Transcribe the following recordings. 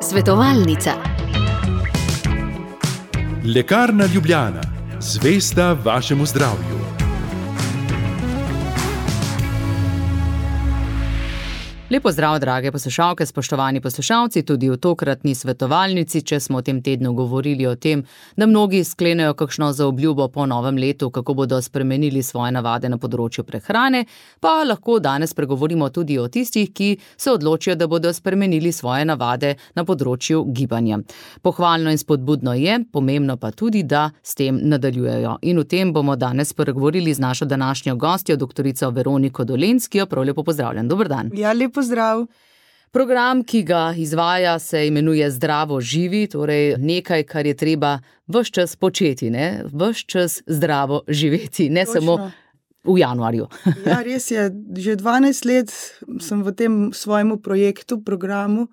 Svetovalnica. Lekarna Ljubljana, zvesta vašemu zdravju. Lepo zdrav, drage poslušalke, spoštovani poslušalci, tudi v tokratni svetovalnici, če smo v tem tednu govorili o tem, da mnogi sklenejo kakšno zaobljubo po novem letu, kako bodo spremenili svoje navade na področju prehrane, pa lahko danes pregovorimo tudi o tistih, ki se odločijo, da bodo spremenili svoje navade na področju gibanja. Pohvalno in spodbudno je, pomembno pa tudi, da s tem nadaljujejo. In o tem bomo danes pregovorili z našo današnjo gostjo, doktorico Veroniko Dolenc, ki jo prav lepo pozdravljam. Dober dan. Ja, pozdrav. Program, ki ga izvaja, se imenuje Zdravo živi, torej nekaj, kar je treba ves čas početi, ne? Ves čas zdravo živeti, ne Točno. Samo v januarju. Ja, res je. Že 12 let sem v tem svojemu projektu, programu,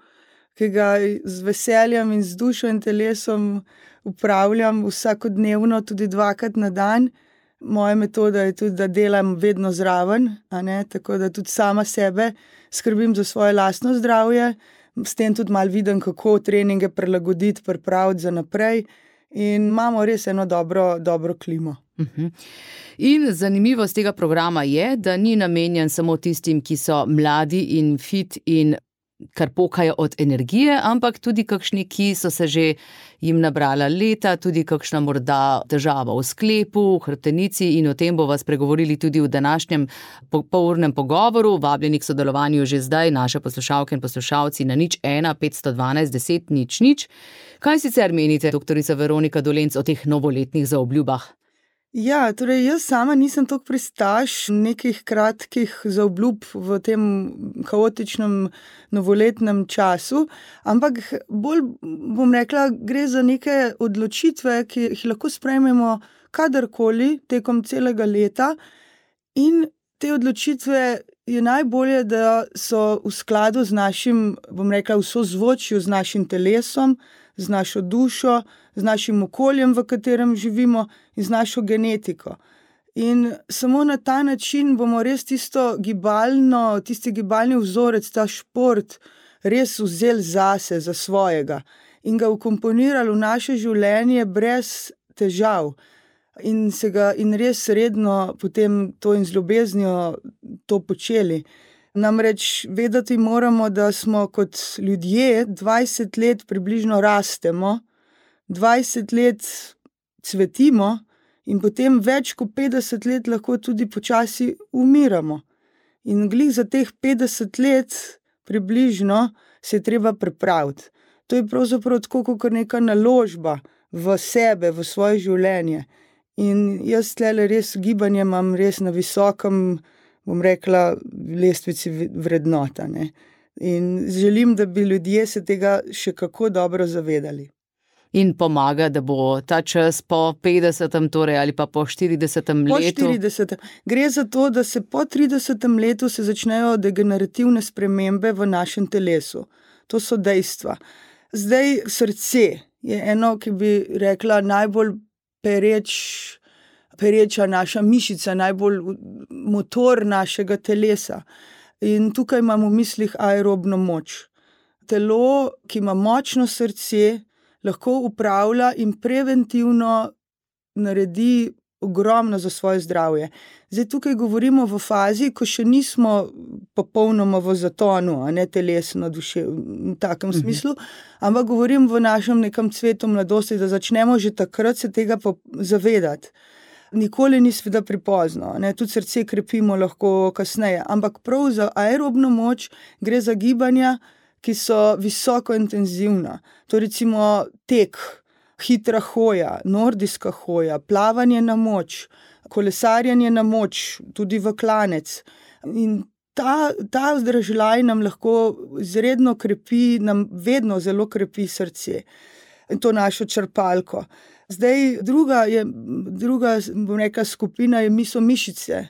ki ga z veseljem in z dušo in telesom upravljam vsakodnevno, tudi 2-krat na dan. Moja metoda je tudi, da delam vedno zraven, tako da tudi sama sebe skrbim za svoje lastno zdravje, s tem tudi malo vidim, kako treninge prilagoditi, pripraviti za naprej in imamo res eno dobro klimo. In zanimivost tega programa je, da ni namenjen samo tistim, ki so mladi in fit in kar pokajo od energije, ampak tudi kakšni, ki so se že jim nabrala leta, tudi kakšna morda težava v sklepu, v hrbtenici, in o tem bova spregovorili tudi v današnjem polurnem pogovoru. Vabljeni k sodelovanju že zdaj naše poslušalke in poslušalci na 01 512 10 00. Kaj sicer menite, doktorica Veronika Dolenc, o teh novoletnih zaobljubah? Ja, torej jaz sama nisem toliko pristaš nekih kratkih zaobljub v tem kaotičnem novoletnem času, ampak bolj, bom rekla, gre za neke odločitve, ki jih lahko sprejmemo kadarkoli tekom celega leta, in te odločitve je najbolje, da so v skladu z našim, bom rekla, v sozvočju z našim telesom, z našo dušo, z našim okoljem, v katerem živimo, in z našo genetiko. In samo na ta način bomo res tisti gibalni vzorec, ta šport, res vzeli zase, za svojega in ga vkomponirali v naše življenje brez težav. In res redno potem to in z ljubeznijo to počeli. Namreč vedeti moramo, da smo kot ljudje 20 let približno rastemo, 20 let cvetimo in potem več kot 50 let lahko tudi počasi umiramo. In glih za teh 50 let približno se je treba pripraviti. To je pravzaprav tako kot neka naložba v sebe, v svoje življenje. In jaz tlele res gibanje imam res na visokem, bom rekla, lestvici vrednota, ne. In želim, da bi ljudje se tega še kako dobro zavedali. In pomaga, da bo ta čas po 50. torej ali pa po 40. letu. Po 40. Gre za to, da se po 30. letu se začnejo degenerativne spremembe v našem telesu. To so dejstva. Zdaj srce je eno, ki bi rekla, najbolj pereča naša mišica, najbolj motor našega telesa. In tukaj imamo v mislih aerobno moč. Telo, ki ima močno srce, lahko upravlja in preventivno naredi ogromno za svoje zdravje. Zdaj tukaj govorimo v fazi, ko še nismo popolnoma v zatonu, a ne telesno, v takem smislu, ampak govorim v našem nekem cvetu mladosti, da začnemo že takrat se tega zavedati. Nikoli ni seveda prepozno, ne? Tudi srce krepimo lahko kasneje, ampak prav za aerobno moč gre za gibanja, ki so visoko intenzivna. To recimo tek, hitra hoja, nordijska hoja, plavanje na moč, kolesarjenje na moč, tudi v klanec. In ta vzdržljaj nam lahko izredno krepi, nam vedno zelo krepi srce. In to našo črpalko. Zdaj, druga, bom rekla, skupina so mišice.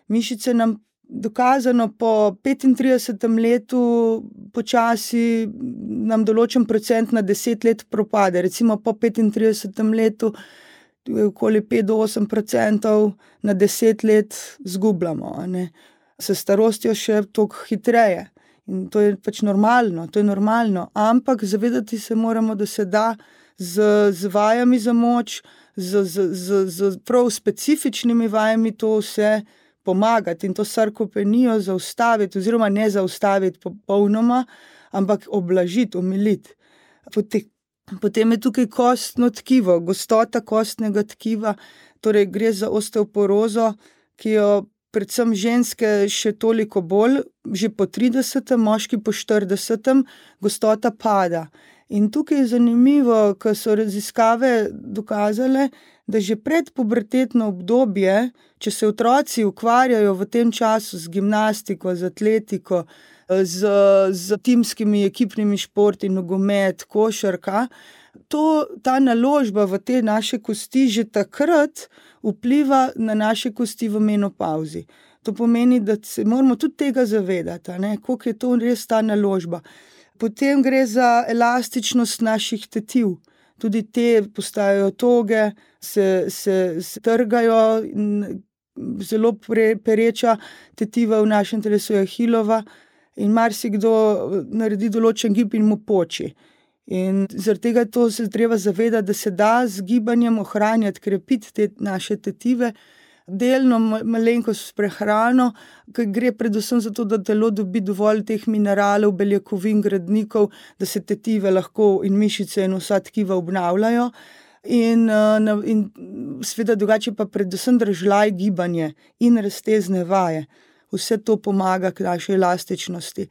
Mišice nam dokazano po 35. letu počasi nam določen procent na 10 let propade. Recimo po 35. letu okoli 5-8% na 10 let zgubljamo. S starostjo še toliko hitreje. In to je pač normalno, ampak zavedati se moramo, da se da z vajami za moč, z prav specifičnimi vajami to vse pomagati in to sarkopenijo zaustaviti oziroma ne zaustaviti popolnoma, ampak oblažiti, omiliti. Potem je tukaj kostno tkivo, gostota kostnega tkiva, torej gre za osteoporozo, ki jo predvsem ženske še toliko bolj, že po 30., moški po 40., gostota pada. In tukaj je zanimivo, ker so raziskave dokazale, da že predpubertetno obdobje, če se otroci ukvarjajo v tem času z gimnastiko, z atletiko, z timskimi ekipnimi športi, nogomet, košarka, ta naložba v te naše kosti že takrat vpliva na naše kosti v menopavzi. To pomeni, da se moramo tudi tega zavedati, koliko je to res ta naložba. Potem gre za elastičnost naših tetiv. Tudi te postajajo toge, se trgajo, zelo pereča tetiva v našem telesu je ahilova in marsikdo naredi določen gib in mu poči. In zaradi tega to se treba zavedati, da se da z gibanjem ohranjati, krepiti te naše tetive, delno malenkost s prehrano, ker gre predvsem za to, da telo dobi dovolj teh mineralov, beljakovin, gradnikov, da se tetive lahko in mišice in vsa tkiva obnavljajo. In seveda drugače pa predvsem držlaj gibanje in raztezne vaje. Vse to pomaga k naši elastičnosti.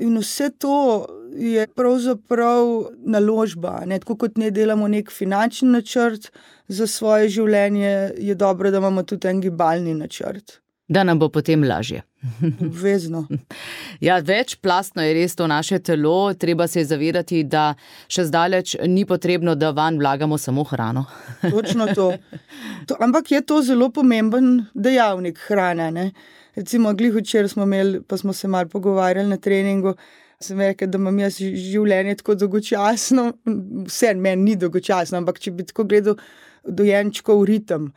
In vse to je pravzaprav naložba, tako kot ne delamo nek finančni načrt za svoje življenje, je dobro, da imamo tudi en gibalni načrt. Da nam bo potem lažje. Obvezno. Ja, večplastno je res to naše telo, treba se zavedati, da še zdaleč ni potrebno, da vanj vlagamo samo hrano. Točno to. Ampak je to zelo pomemben dejavnik hrane, Recimo, glih včeraj smo imeli, pa smo se malo pogovarjali na treningu, sem rekel, da imam jaz življenje tako dolgočasno, vse meni ni dolgočasno, ampak če bi tako gledal dojenčkov ritem,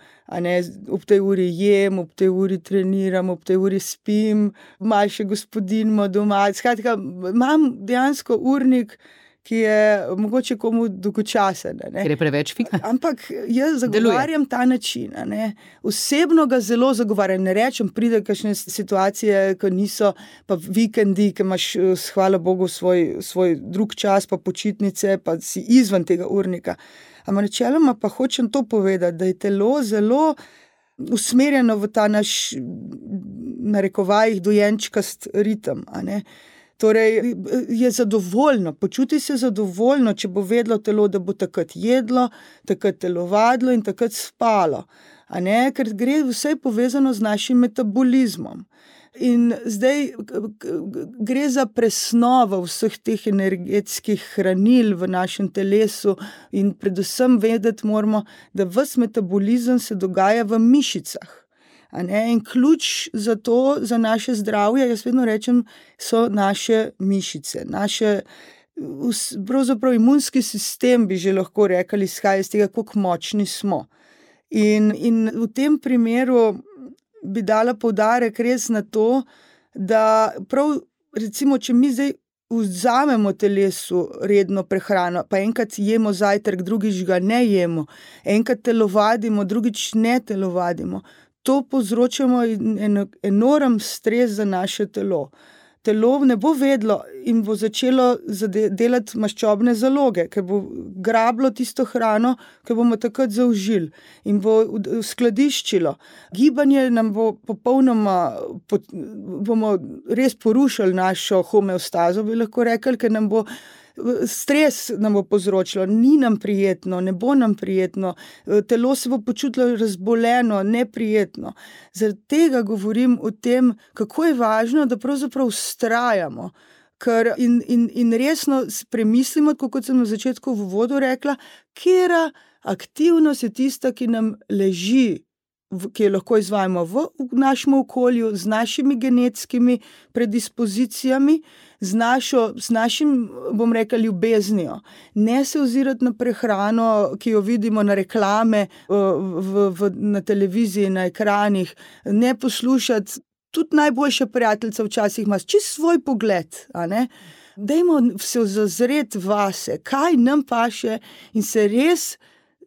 ob tej uri jem, ob tej uri treniram, ob tej uri spim, malo še gospodinjimo doma, skratka, imam dejansko urnik, ki je mogoče komu dolgočasen. Ker je preveč fika. Ampak jaz zagovarjam ta način. Osebno ga zelo zagovarjam. Ne rečem, pride kakšne situacije, ko niso, pa vikendi, ki imaš, hvala Bogu, svoj drug čas, pa počitnice, pa si izven tega urnika. Ampak načeloma pa hočem to povedati, da je telo zelo usmerjeno v ta naš, narekovajih, dojenčkast ritem, Torej, je zadovoljno, počuti se zadovoljno, če bo vedelo telo, da bo takrat jedlo, takrat telovadilo in takrat spalo. Ker gre vse povezano z našim metabolizmom. In zdaj gre za presnovo vseh teh energetskih hranil v našem telesu in predvsem vedeti moramo, da ves metabolizem se dogaja v mišicah. In ključ za to, za naše zdravje, jaz vedno rečem, so naše mišice, pravzaprav imunski sistem, bi že lahko rekli, izhaja iz tega, kako močni smo. In v tem primeru bi dala poudarek res na to, da prav, recimo, če mi zdaj vzamemo telesu redno prehrano, pa enkrat jemo zajtrk, drugič ga ne jemo, enkrat telovadimo, drugič ne telovadimo, to povzročamo enorm stres za naše telo. Telo ne bo vedlo in bo začelo delati maščobne zaloge, ker bo grablo tisto hrano, ki bomo takrat zaužili in bo skladiščilo. Gibanje nam bo popolnoma, bomo res porušili našo homeostazo, bi lahko rekli, ker nam bo stres nam bo povzročilo, ni nam prijetno, ne bo nam prijetno, telo se bo počutilo razboleno, neprijetno. Zaradi tega govorim o tem, kako je važno, da pravzaprav vztrajamo, ker in resno premislimo, kot sem na začetku v uvodu rekla, katera aktivnost je tista, ki nam leži, ki jo lahko izvajamo v našem okolju, z našimi genetskimi predispozicijami, z našim, bom rekla, ljubeznijo. Ne se ozirati na prehrano, ki jo vidimo na reklame na televiziji, na ekranih, ne poslušati tudi najboljša prijateljica včasih ima čisto svoj pogled, a ne. Dajmo se zazreti vase, kaj nam paše in se res,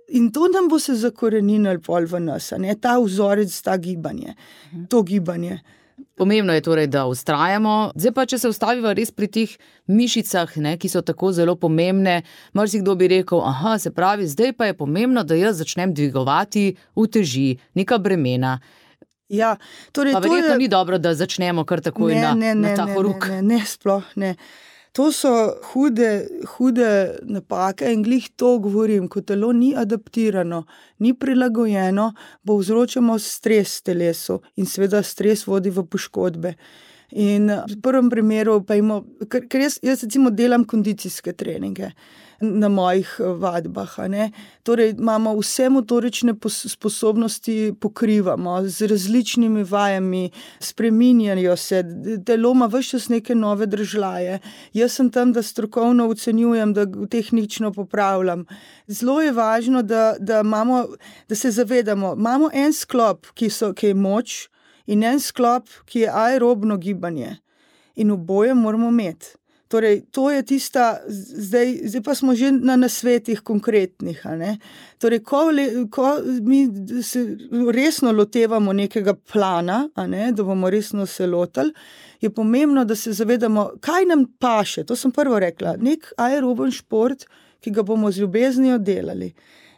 in to nam bo se zakoreninilo pol v nas, a ne, ta vzorec, ta gibanje, to gibanje. Pomembno je torej, da vztrajamo. Zdaj pa, če se ustaviva res pri teh mišicah, ne, ki so tako zelo pomembne, marsikdo bi rekel, se pravi, zdaj pa je pomembno, da jaz začnem dvigovati uteži, neka bremena. Ja, torej, pa verjetno ni dobro, da začnemo kar takoj na ta horuk. Ne, sploh ne. To so hude napake in glih to govorim, ko telo ni adaptirano, ni prilagojeno, bo vzročamo stres telesu in seveda stres vodi v poškodbe. In v prvem primeru pa ker jaz recimo delam kondicijske treninge na mojih vadbah, a ne. Torej imamo vse motorične sposobnosti pokrivamo z različnimi vajami, spreminjajo se, telo ima ves čas neke nove držljaje. Jaz sem tam, da strokovno ocenjujem, da tehnično popravljam. Zelo je važno, da se zavedamo, imamo en sklop, ki je moč, in en sklop, ki je aerobno gibanje. In oboje moramo imeti. Torej, to je tista, zdaj pa smo že na nasvetih konkretnih, a ne. Torej, ko mi se resno lotevamo nekega plana, a ne, da bomo resno se lotili, je pomembno, da se zavedamo, kaj nam paše. To sem prvo rekla, nek aeroben šport, ki ga bomo z ljubeznijo delali.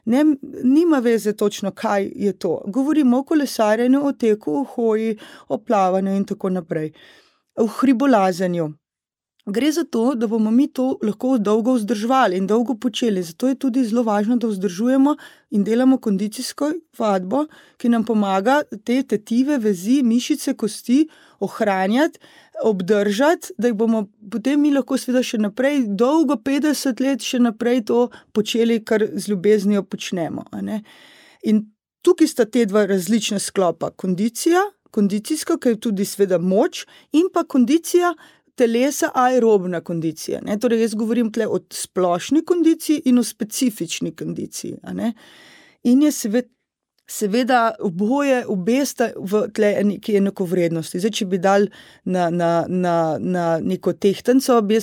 Nima veze točno, kaj je to. Govorimo o kolesarjenju, o teku, o hoji, o plavanju in tako naprej. O hribolazenju. Gre za to, da bomo mi to lahko dolgo vzdrževali in dolgo počeli. Zato je tudi zelo važno, da vzdržujemo in delamo kondicijsko vadbo, ki nam pomaga te tetive, vezi, mišice, kosti ohranjati, obdržati, da jih bomo potem mi lahko seveda še naprej, dolgo 50 let še naprej to počeli, kar z ljubeznijo počnemo. A ne? In tukaj sta te dva različna sklopa. Kondicijska, ki je tudi seveda moč, in pa kondicija telesa, aerobna kondicija. Ne? Torej, jaz govorim tle o splošni kondiciji in o specifični kondiciji. A ne? In je seveda obe sta v tle neki enakovrednosti. Zdaj, če bi dal na neko tehtenco, bi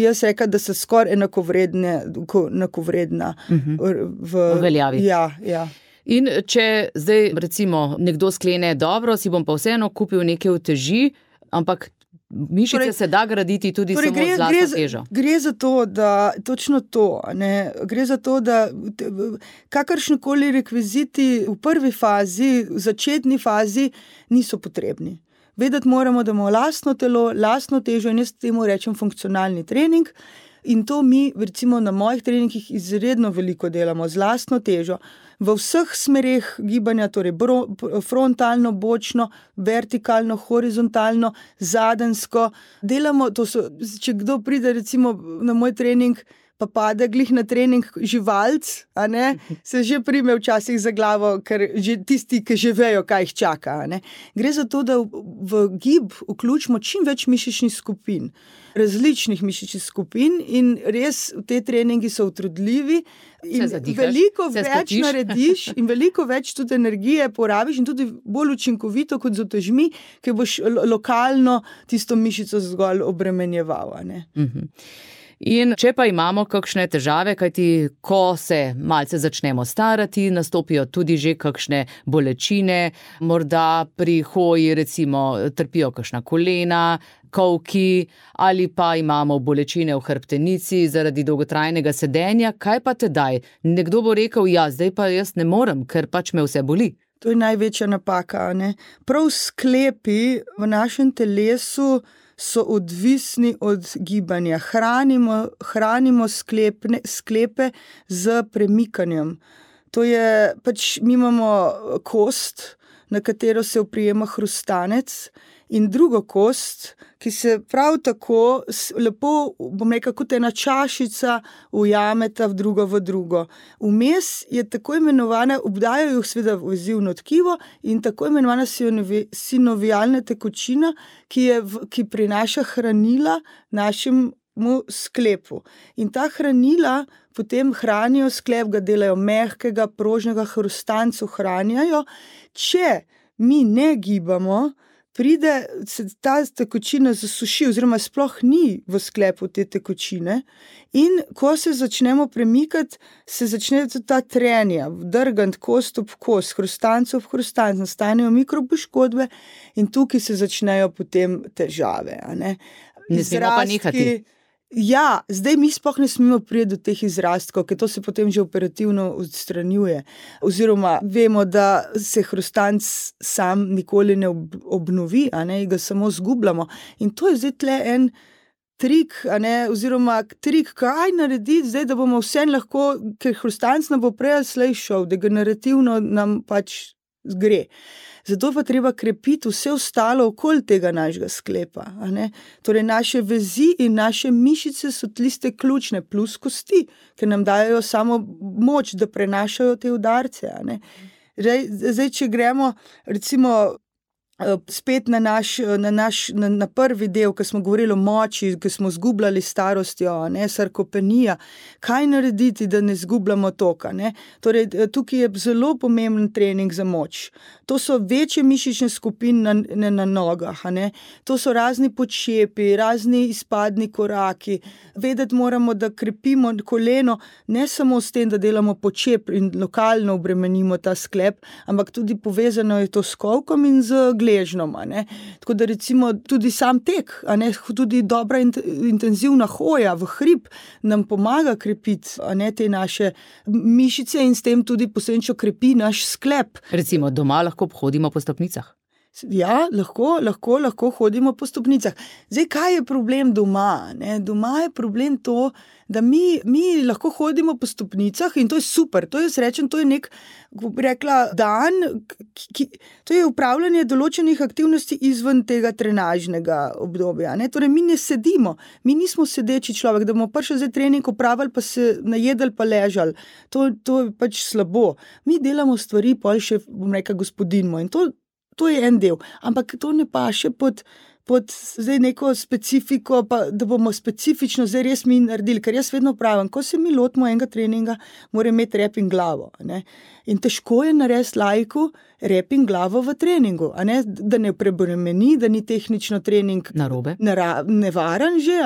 jaz rekla, da so skoraj enakovredna v veljavi. Ja. In če zdaj recimo nekdo sklene, dobro, si bom pa vseeno kupil neke uteži, ampak mišice se da graditi tudi samo z lastno težo. Gre za to, da točno to, ne, gre za to, da kakršnekoli rekviziti v prvi fazi, v začetni fazi niso potrebni. Vedeti moramo, da imamo lastno telo, lastno težo in jaz temu rečem funkcionalni trening. In to mi recimo na mojih treningih izredno veliko delamo z lastno težo. V vseh smereh gibanja, torej frontalno, bočno, vertikalno, horizontalno, zadensko. Delamo, če kdo pride recimo na moj trening, pa pade glih na trening živalc, a ne, se že prime včasih za glavo, ker že tisti, ki že vejo, kaj jih čaka. A ne. Gre za to, da v gib vključimo čim več mišičnih skupin, različnih mišičnih skupin in res te treningi so utrudljivi in veliko več narediš in veliko več tudi energije porabiš in tudi bolj učinkovito kot z utežmi, ki boš lokalno tisto mišico zgolj obremenjeval. A ne. In če pa imamo kakšne težave, kajti ko se malce začnemo starati, nastopijo tudi že kakšne bolečine, morda pri hoji recimo trpijo kakšna kolena, kolki ali pa imamo bolečine v hrbtenici zaradi dolgotrajnega sedenja, kaj pa tedaj? Nekdo bo rekel, ja, zdaj pa jaz ne morem, ker pač me vse boli. To je največja napaka, ne? Prav sklepi v našem telesu so odvisni od gibanja. Hranimo sklepe z premikanjem. To je pač, mi imamo kost, na katero se oprijema hrustanec in drugo kost, ki se prav tako lepo, bom rekel, kot ena čašica ujameta v drugo. Vmes je tako imenovana, obdajajo jih seveda vezivno tkivo in tako imenovana sinovialna tekočina, ki prinaša hranila našemu sklepu. In ta hranila potem hranijo sklep, ga delajo mehkega, prožnega, hrustancu hranjajo. Če mi ne gibamo, se ta tekočina zasuši, oziroma sploh ni v sklepu te tekočine. In ko se začnemo premikati, se začne tudi ta trenja, drgant kost ob kost, hrustanc ob hrustanc, nastanejo mikropoškodbe in tukaj se začnejo potem težave. Ne smemo pa nehati. Ja, zdaj mi sploh ne smemo priti do teh izrastkov, ker to se potem že operativno odstranjuje. Oziroma vemo, da se hrustanc sam nikoli ne obnovi, ga samo zgubljamo. In to je zdaj tle en trik, oziroma trik, kaj narediti zdaj, da bomo vse lahko, ker hrustanc nam bo prej ali slej šel, degenerativno nam pač gre. Zato pa treba krepiti vse ostalo okoli tega našega sklepa. Torej naše vezi in naše mišice so tiste ključne, plus kosti, ker nam dajo samo moč, da prenašajo te udarce. Zdaj, če gremo recimo spet na prvi del, ko smo govorili o moči, ko smo zgubljali starostjo, sarkopenija, kaj narediti, da ne zgubljamo toka. Torej, tukaj je zelo pomemben trening za moč. To so večje mišične skupine na nogah, to so razni počepi, razni izpadni koraki. Vedeti moramo, da krepimo koleno ne samo s tem, da delamo počep in lokalno obremenimo ta sklep, ampak tudi povezano je to s kolkom in z gležnom. Tako da recimo tudi sam tek, tudi dobra intenzivna hoja v hrib nam pomaga krepiti te naše mišice in s tem tudi posledično krepi naš sklep. Recimo doma lahko hodimo po stopnicah. Ja, lahko hodimo po stopnicah. Zdaj, kaj je problem doma? Doma je problem to, da mi lahko hodimo po stopnicah in to je super. To jaz rečem, to je nek, bi rekla, dan, to je upravljanje določenih aktivnosti izven tega trenažnega obdobja. Torej, mi ne sedimo, mi nismo sedeči človek, da bomo prišli zdaj trening opravili, pa se najedali, pa ležali. To je pač slabo. Mi delamo stvari, pol še, bom rekla, gospodinjmo in to je en del, ampak to ne paše pod zdaj neko specifiko, pa da bomo specifično zdaj res mi naredili, ker jaz vedno pravim, ko se mi lotimo enega treninga, mora imeti rep in glavo. In težko je narediti laiku rep in glavo v treningu, da ne prebremeni, da ni tehnično trening narobe, nevaren že.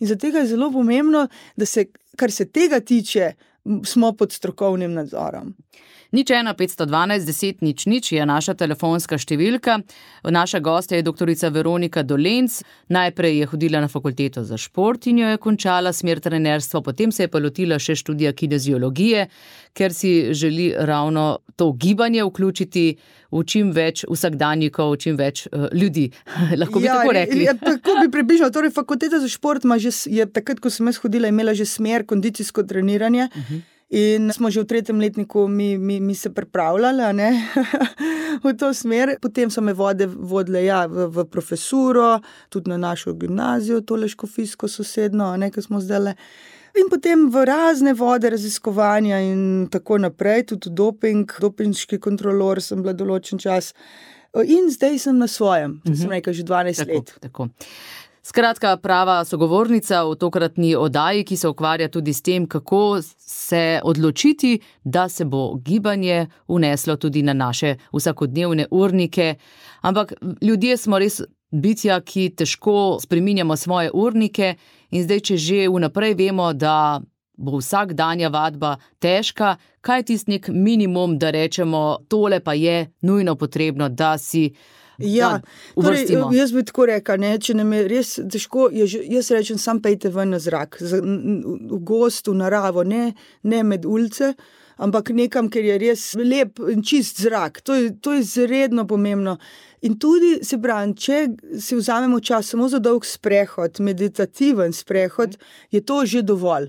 In zato je zelo pomembno, da se, kar se tega tiče, smo pod strokovnim nadzorom. 01 512 10 00 je naša telefonska številka. Naša gostja je doktorica Veronika Dolenc. Najprej je hodila na fakulteto za šport in jo je končala smer trenerstva, potem se je pa lotila še študija kineziologije, ker si želi ravno to gibanje vključiti v čim več vsakdanjikov, čim več ljudi. Lahko bi tako rekli. Tako bi približala. Torej, fakulteta za šport je takrat, ko sem jaz hodila, imela že smer kondicijsko treniranje. In smo že v 3. letniku mi se pripravljali v to smer. Potem so me vodile v profesuro, tudi na našo gimnazijo, tole škofijsko sosedno, ko smo zdajle. In potem v razne vode raziskovanja in tako naprej, tudi dopinški kontrolor sem bila določen čas. In zdaj sem na svojem, sem rekla, že 12 let. Tako. Skratka, prava sogovornica v tokratni oddaji, ki se ukvarja tudi s tem, kako se odločiti, da se bo gibanje vneslo tudi na naše vsakodnevne urnike. Ampak ljudje smo res bitja, ki težko spreminjamo svoje urnike in zdaj, če že vnaprej vemo, da bo vsakdanja vadba težka, kaj je tisti nek minimum, da rečemo, tole pa je nujno potrebno, da si torej, jaz bi tako rekla, če nam je res težko, jaz rečem, sam pejte ven na zrak, v gost, v naravo, ne med ulice, ampak nekam, ker je res lep in čist zrak. To je izredno pomembno. In tudi, se pravi, če si vzamemo čas samo za dolg sprehod, meditativen sprehod, je to že dovolj.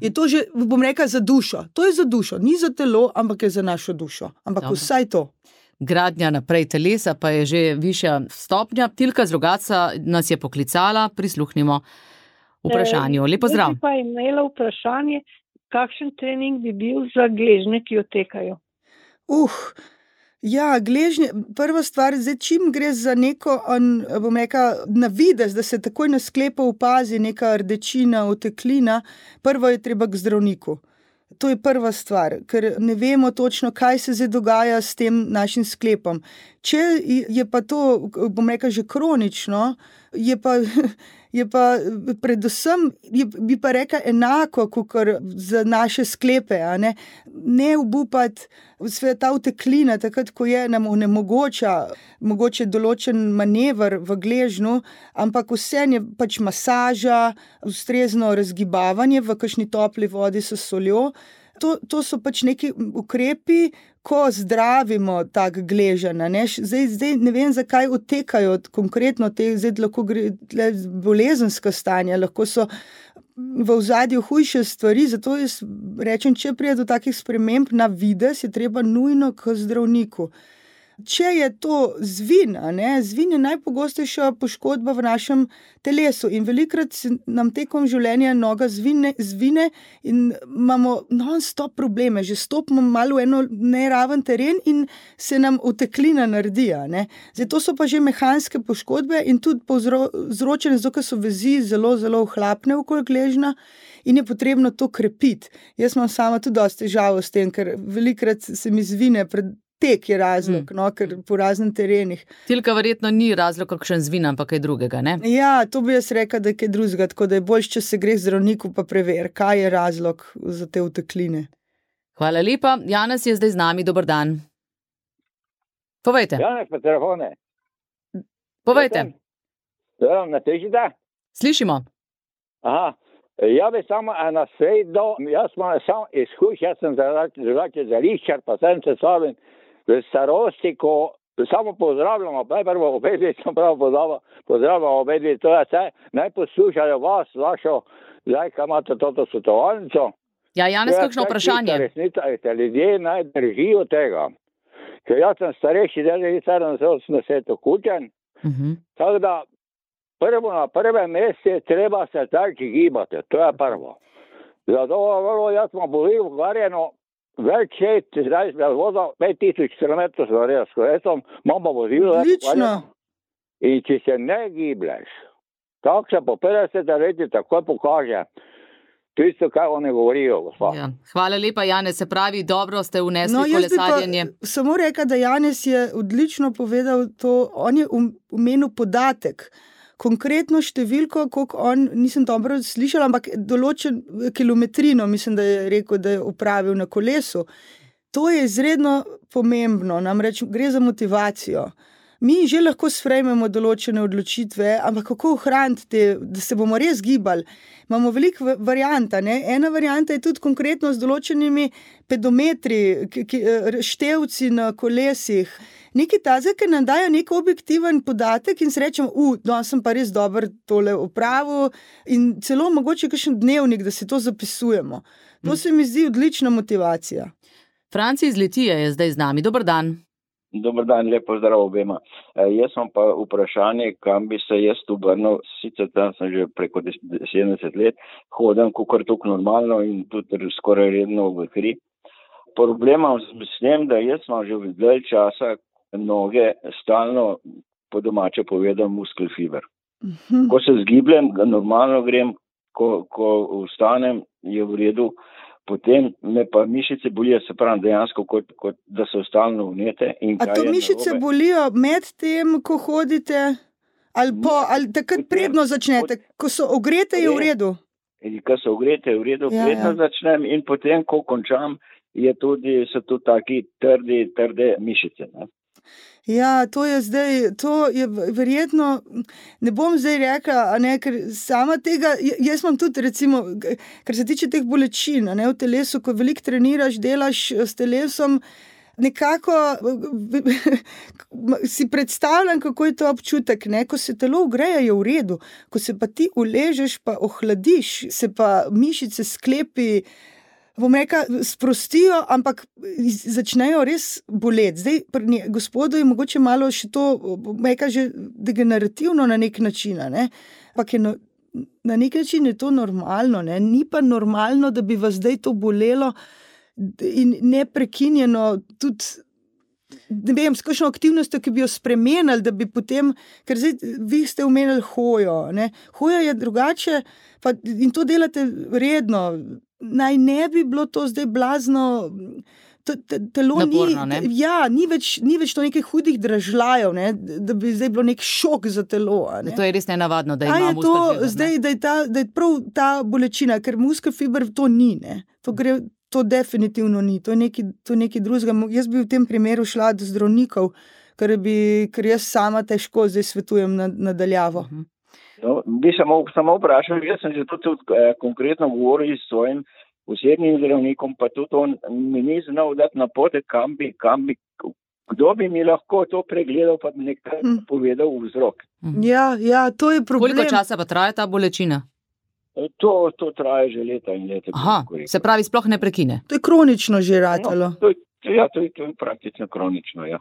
Je to že, bom rekla, za dušo. To je za dušo, ni za telo, ampak je za našo dušo. Ampak vsaj to. Gradnja naprej telesa pa je že višja stopnja. Tilka z Rogatca nas je poklicala, prisluhnimo vprašanju. Lep pozdrav. Jaz bi pa imela vprašanje, kakšen trening bi bil za gležnje, ki otekajo? Gležnje, prva stvar, zdaj čim gre za neko, bom rekla, navidez, da se takoj na sklepu opazi neka rdečina, oteklina, prvo je treba k zdravniku. To je prva stvar, ker ne vemo točno, kaj se zdaj dogaja s tem našim sklepom. Če je pa to, bom rekla, že kronično, je pa predvsem, bi pa rekla enako, kot za naše sklepe, ne obupati ta uteklina, takrat, ko je nam onemogoča mogoče določen manever v gležnju, ampak vseeno je pač masaža, ustrezno razgibavanje v kakšni topli vodi s soljo. To so pač neki ukrepi, ko zdravimo tak gleženj. Zdaj ne vem, zakaj odtekajo konkretno te, zdaj lahko gre bolezenska stanja, lahko so v ozadju hujše stvari, zato jaz rečem, če pride do takih sprememb na videz, je treba nujno k zdravniku. Če je to zvin, zvin je najpogostejša poškodba v našem telesu in velikokrat nam tekom življenja noga zvine in imamo non-stop probleme, že stopimo malo v eno neraven teren in se nam uteklina naredi. Zdaj, to so pa že mehanske poškodbe in tudi povzročene, zato ker so vezi zelo, zelo ohlapne okoli gležnja in je potrebno to krepiti. Jaz imam sama tudi dosti težavo s tem, ker velikokrat se mi zvine tek je razlog, ker po raznih terenih. Tilka verjetno ni razlog, kakšen zvin, ampak kaj drugega, ne? Ja, to bi jaz rekla, da je kaj drugega, tako da je boljše, če se gre k zdravniku pa preveri, kaj je razlog za te utekline. Hvala lepa. Janez je zdaj z nami, dober dan. Povejte. Janez pa telefone. Povejte. Na težite? Slišimo. Aha. Ja bi samo na sredo, jaz imam samo izkušnje, jaz sem drugače zališčar, pa sem se savim v starosti, ko samo pozdravljamo, prvo obedvi, sem prav pozdravljamo obedvi, to je vse, naj poslušajo vas, vašo, zdaj, kaj imate toto svetovalnico. Ja, Janez, kakšno vprašanje? Resnica, ljudje naj držijo tega, ker jaz sem starejši, 87 kučen, tako da na prvem mestu je treba se tako gibati, to je prvo. Zato jaz smo bili ukvarjeno več 5000 km s kolesom, imam pa vozilo. Odlično. In če se ne giblješ, tako se po 50 letih takoj pokaže. Tisto, kaj oni govorijo, gospod. Ja. Hvala lepa, Janez, se pravi, dobro ste vnesli kolesarjenje. Samo rekla, da Janez je odlično povedal to, on je omenil podatek, konkretno številko, koliko on, nisem dobro slišala, ampak določen kilometrino, mislim, da je rekel, da je upravil na kolesu. To je izredno pomembno, namreč gre za motivacijo. Mi že lahko sprejmemo določene odločitve, ampak kako ohraniti te, da se bomo res gibali? Imamo veliko varianta, Ena varianta je tudi konkretno z določenimi pedometri, števci na kolesih. Nekaj tazga, ki nam dajo nek objektiven podatek in se rečemo, sem pa res dober tole opravil in celo mogoče kakšen dnevnik, da si to zapisujemo. To se mi zdi odlična motivacija. Franci iz Litije je zdaj z nami. Dober dan. Dober dan, lepo zdrav obema. Jaz imam pa vprašanje, kam bi se jaz obrnil, sicer tam sem že preko 70 let, hodim kakor tukaj normalno in tudi skoraj redno v kri. Problema s tem, da jaz imam že v dalj časa noge stalno, po domače povedam, muskel fiber. Ko se zgibljem, normalno grem, ko vstanem, je v redu. Potem me pa mišice bolijo, se pravi dejansko, kot da so stalno vnete. A to mišice bolijo med tem, ko hodite, ali takrat predno začnete, ko so ogrete, je v redu? Ko so ogrete, je v redu, predno začnem in potem, ko končam, so tudi taki trde mišice. Ja, to je verjetno, ne bom zdaj rekla, ker sama tega, jaz imam tudi recimo, kar se tiče teh bolečin, v telesu, ko veliko treniraš, delaš s telesom, nekako si predstavljam, kako je to občutek, ko se telo ogreje, je v redu, ko se pa ti uležeš, pa ohladiš, se pa mišice, sklepi, bom rekla, sprostijo, ampak začnejo res boleti. Zdaj, pri gospodu je mogoče malo še to, bom rekla, že degenerativno na nek način, ampak na nek način je to normalno, ni pa normalno, da bi vas zdaj to bolelo in neprekinjeno tudi, ne vem, s kakšno aktivnostjo, ki bi jo spremenili, da bi potem, ker zdaj vi ste omenili hojo, hoja je drugače, in to delate redno, naj ne bi bilo to zdaj blazno. Telo naporno, ni več to nekih hudih dražljajev, ne, da bi zdaj bilo nek šok za telo. Ne. To je res nenavadno, da ima muskelfiber. Zdaj, da je prav ta bolečina, ker muskelfiber to ni. Ne. To definitivno ni. To je nekaj drugega. Jaz bi v tem primeru šla do zdravnikov, ker jaz sama težko zdaj svetujem nadaljavo. No, bi samo vprašal, jaz sem že tudi konkretno govoril s svojim osebnim zdravnikom, pa tudi on mi ni znal dati napotek, kam bi, kdo bi mi lahko to pregledal, pa bi nekaj povedal vzrok. Ja, to je problem. Koliko časa pa traja ta bolečina? To traja že leta in leta. Aha, se pravi, sploh ne prekine? To je kronično že ratalo. No, to je praktično kronično, ja.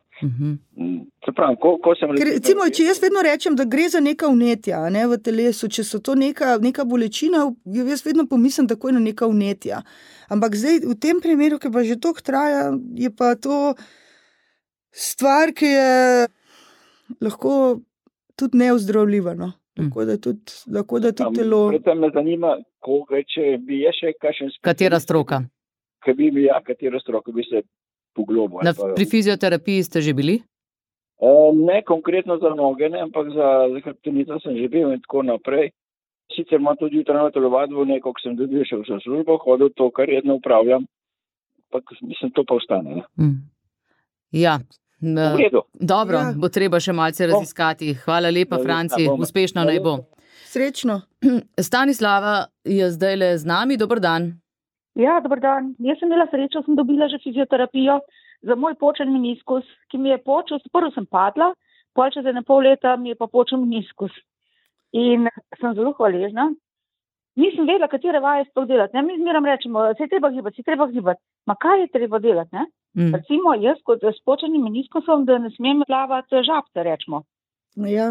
Se pravi, ko sem... Recimo, če jaz vedno rečem, da gre za neka vnetja, ne, v telesu, če so to neka bolečina, jaz vedno pomislim takoj na neka vnetja. Ampak zdaj, v tem primeru, ki pa že toliko traja, je pa to stvar, ki je lahko tudi neozdravljiva, no. Tako da tudi telo... Predtem me zanima, če bi je še kakšen... Katera stroka? Katera stroka bi se poglobil. Pri fizioterapiji ste že bili? Ne konkretno za noge, ne, ampak za hrbtenico sem že bil in tako naprej. Sicer imam tudi jutranjo telovadbo, ko sem tudi šel v službo, hodil to, kar redno upravljam, pa mislim, to pa ostane. Ne? Ja, dobro, bo treba še malce raziskati. Hvala lepa, Franci, uspešno naj bo. Srečno. Stanislava je zdajle z nami, dober dan. Ja, dober dan. Jaz sem imela srečo, sem dobila že fizioterapijo za moj počen meniskus, ki mi je počel, prvo sem padla, pol čez 1,5 leta mi je pa počel meniskus. In sem zelo hvaležna. Nisem vedela, katere vaje sploh delati. Ne? Mi zmeram rečemo, se je treba gibati. Ma kaj je treba delati? Ne? Recimo, jaz kot s počenim meniskusom, da ne smem plavati žabce, rečemo. Ja.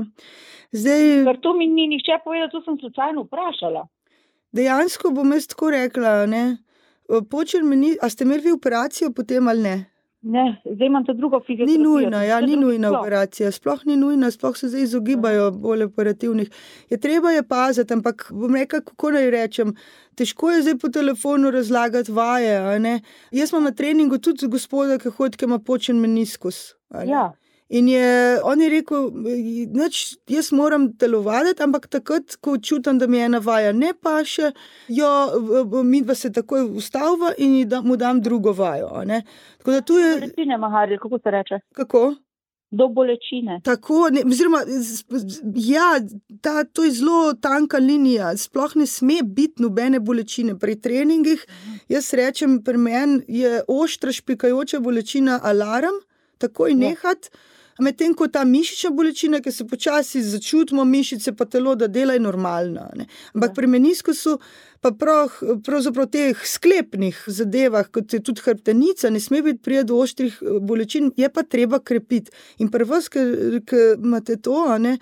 Zdaj... Ker to mi ni nihče povedal, to sem slučajno vprašala. Dejansko bom jaz tako rekla, ne? A ste imeli operacijo potem ali ne? Ne, zdaj imam to drugo fizioterapijo. Ni nujna operacija, sploh ni nujna, sploh se zdaj izogibajo bolj operativnih. Treba je paziti, ampak bom rekla, kako naj rečem, težko je zdaj po telefonu razlagati vaje, a ne? Jaz imam na treningu tudi gospoda, ki hodi, ki ima počen meniskus. Ja. In on je rekel, jaz moram telovaditi, ampak takrat, ko čutim, da mi ena vaja ne paše, midva se takoj ustavlja in mu dam drugo vajo. Ne? Tako da tu je... Bolečine, Maharil, kako se reče? Kako? Do bolečine. Tako, to je zelo tanka linija, sploh ne sme biti nobene bolečine. Pri treningih, jaz rečem, pri meni je oštra špikajoča bolečina alarm, takoj nehat, medtem ko ta mišična bolečina, ki se počasi začutimo mišice pa telo, da dela je normalna. Ne? Ampak pri meniskusu pa pravzaprav teh sklepnih zadevah, kot je tudi hrbtenica, ne sme biti prije do oštrih bolečin, je pa treba krepiti. In pri vas, ki imate to, ne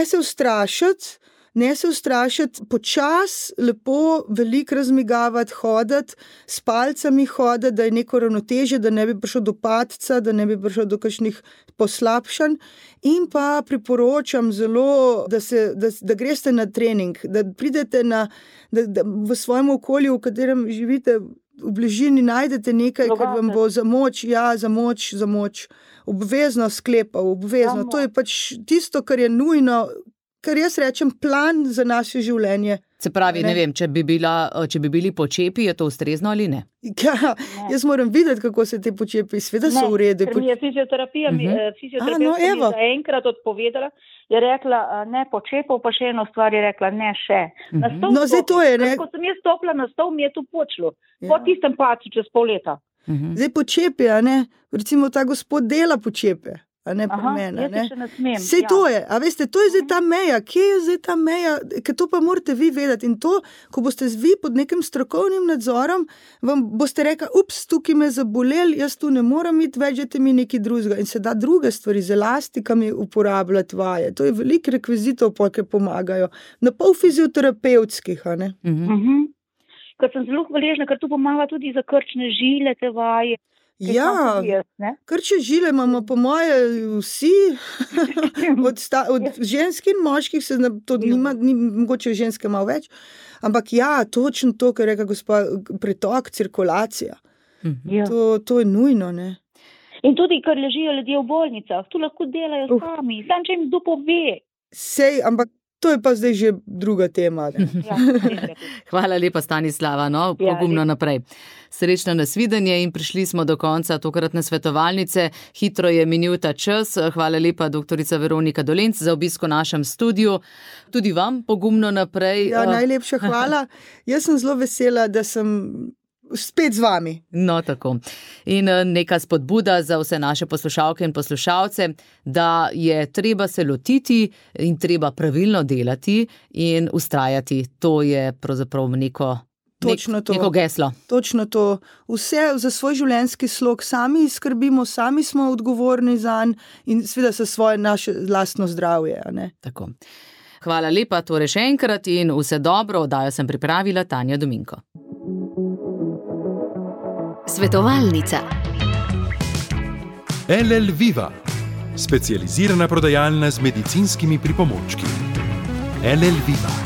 se ustrašiti, počas, lepo, veliko razmigavati, hoditi, s palcami hoditi, da je neko ravnotežje, da ne bi prišlo do padca, da ne bi prišlo do kakšnih poslabšanj. In pa priporočam zelo, da greste na trening, da pridete da v svojem okolju, v katerem živite, v bližini najdete nekaj, kar vam bo za moč, obvezno sklepal, obvezno. To je pač tisto, kar je nujno, kar jaz rečem, plan za naše življenje. Se pravi, ne vem, če bi bili počepi, je to ustrezno ali ne? Ja, jaz moram videti, kako se te počepi, sveda so v redu. Ker mi je fizioterapija enkrat odpovedala, je rekla, ne počepov, pa še eno stvar je rekla, ne še. Zdaj to je, ne? Ko sem jaz stopila na stol, mi je to počelo. Po tistem pacu čez pol leta. Zdaj počepi, recimo ta gospod dela počepe. A ne pri mene, ne? Sej to je, a veste, to je zdaj ta meja, kje je zdaj ta meja, ker to pa morate vi vedeti in to, ko boste vi pod nekim strokovnim nadzorom, vam boste rekli, tukaj me zabolel, jaz tu ne moram iti, več mi nekaj drugega in se da druge stvari z elastikami uporabljati vaje, to je veliko rekvizitov, ki pomagajo, na pol fizioterapevtskih, a ne? Ker sem zelo hvaležna, ker tu pomaga tudi za krčne žile, te vaje. Ja, krče žile imamo po moje vsi, od žensk in moških, to nima, mogoče ženske malo več, ampak ja, točno to, kar reka gospa, pretok, cirkulacija, to je nujno, ne. In tudi, ker ležijo ljudje v bolnicah, tu lahko delajo sami, sam če jim kdo pove. Sej, ampak to je pa zdaj že druga tema. Hvala lepa, Stanislava, pogumno naprej. Srečno nasvidenje in prišli smo do konca tokratne svetovalnice. Hitro je minil ta čas. Hvala lepa, doktorica Veronika Dolenc, za obisk v našem studiu. Tudi vam pogumno naprej. Ja, najlepša hvala. Jaz sem zelo vesela, da sem spet z vami. No, tako. In neka spodbuda za vse naše poslušalke in poslušalce, da je treba se lotiti in treba pravilno delati in vztrajati. To je pravzaprav neko geslo. Točno to. Vse za svoj življenjski slog sami skrbimo, sami smo odgovorni zanj in seveda za svoje naše lastno zdravje. Ne? Tako. Hvala lepa, torej še enkrat in vse dobro. Oddajo sem pripravila Tanja Dominko. Svetovalnica. LL Viva, specializirana prodajalna z medicinskimi pripomočki. LL Viva.